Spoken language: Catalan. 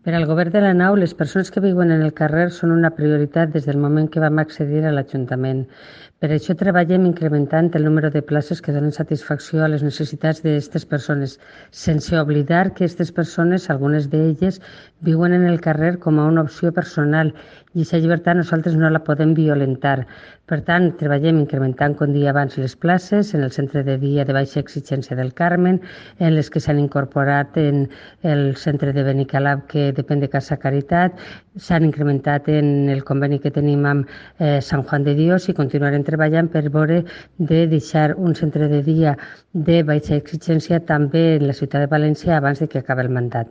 Per al Govern de la Nau, les persones que viuen en el carrer són una prioritat des del moment que vam accedir a l'Ajuntament. Per això treballem incrementant el número de places que donen satisfacció a les necessitats d'aquestes persones, sense oblidar que aquestes persones, algunes d'elles, viuen en el carrer com a una opció personal i aquesta llibertat nosaltres no la podem violentar. Per tant, treballem incrementant, com dia abans, les places en el centre de dia de baixa exigència del Carmen, en les que s'han incorporat en el centre de Benicalab, que depèn de Casa Caritat, s'han incrementat en el conveni que tenim amb Sant Juan de Dios i continuarem treballant per veure de deixar un centre de dia de baixa exigència també en la ciutat de València abans de que acabi el mandat.